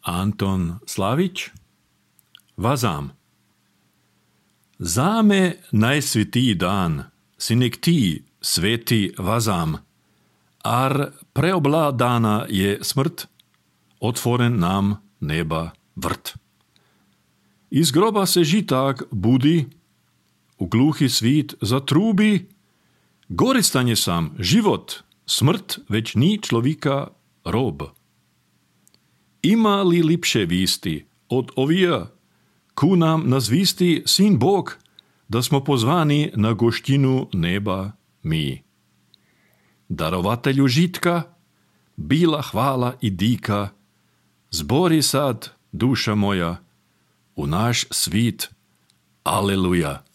Anton Slavić. Vazam. Zame najsvetiji dan, si nek ti, sveti vazam, ar preobladana je smrt, otvoren nam neba vrt. Iz groba se žitak budi, v gluhi svit zatrubi, goristan je sam život, smrt već ni človika rob. Ima li lipše visti od ovija, ku nam nazvisti sin Bog, da smo pozvani na goštinu neba mi. Darovatelju žitka, bila hvala i dika, zbori sad, duša moja, u naš svit, aleluja.